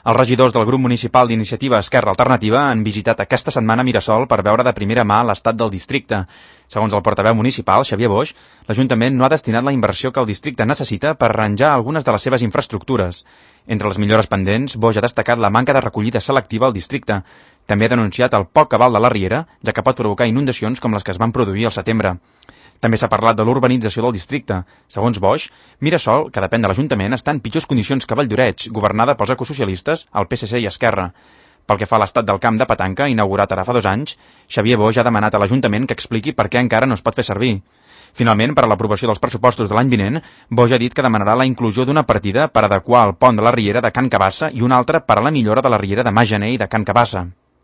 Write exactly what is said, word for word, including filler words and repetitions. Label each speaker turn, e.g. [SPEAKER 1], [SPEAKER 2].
[SPEAKER 1] Els regidors del grup municipal d'Iniciativa Esquerra Alternativa han visitat aquesta setmana Mirasol per veure de primera mà l'estat del districte. Segons el portaveu municipal, Xavier Boix, l'Ajuntament no ha destinat la inversió que el districte necessita per arranjar algunes de les seves infraestructures. Entre les millores pendents, Boix ha destacat la manca de recollida selectiva al districte. També ha denunciat el poc cabal de la riera, ja que pot provocar inundacions com les que es van produir al setembre. També s'ha parlat de l'urbanització del districte. Segons Boix, Mirasol, que depèn de l'Ajuntament, està en pitjors condicions que Valldoreix, governada pels ecosocialistes, el P S C i Esquerra. Pel que fa a l'estat del camp de petanca, inaugurat ara fa dos anys, Xavier Boix ha demanat a l'Ajuntament que expliqui per què encara no es pot fer servir. Finalment, per a l'aprovació dels pressupostos de l'any vinent, Boix ha dit que demanarà la inclusió d'una partida per adequar el pont de la riera de Can Cabassa i una altra per a la millora de la riera de Mas Gener i de Can Cabassa.